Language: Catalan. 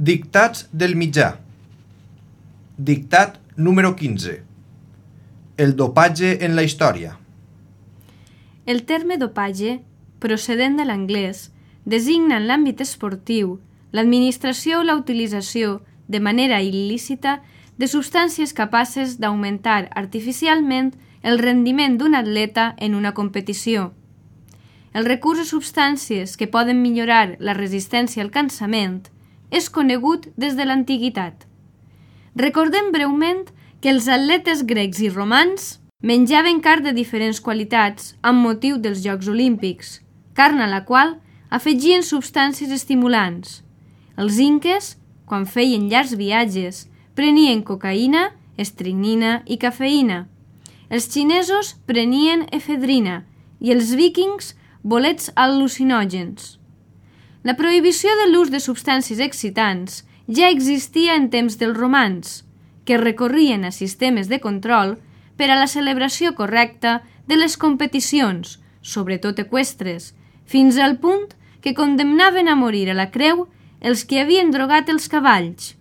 Dictats del mitjà. Dictat número 15. El dopatge en la història. El terme dopatge, procedent de l'anglès, designa en l'àmbit esportiu l'administració o la utilització de manera il·lícita de substàncies capaces d'augmentar artificialment el rendiment d'un atleta en una competició. El recurs a substàncies que poden millorar la resistència al cansament és conegut des de l'antiguitat. Recordem breument que els atletes grecs i romans menjaven carn de diferents qualitats amb motiu dels Jocs Olímpics, carn a la qual afegien substàncies estimulants. Els inques, quan feien llargs viatges, prenien cocaïna, estricnina i cafeïna. Els xinesos prenien efedrina i els víkings bolets al·lucinògens. La prohibició de l'ús de substàncies excitants ja existia en temps dels romans, que recorrien a sistemes de control per a la celebració correcta de les competicions, sobretot eqüestres, fins al punt que condemnaven a morir a la creu els que havien drogat els cavalls.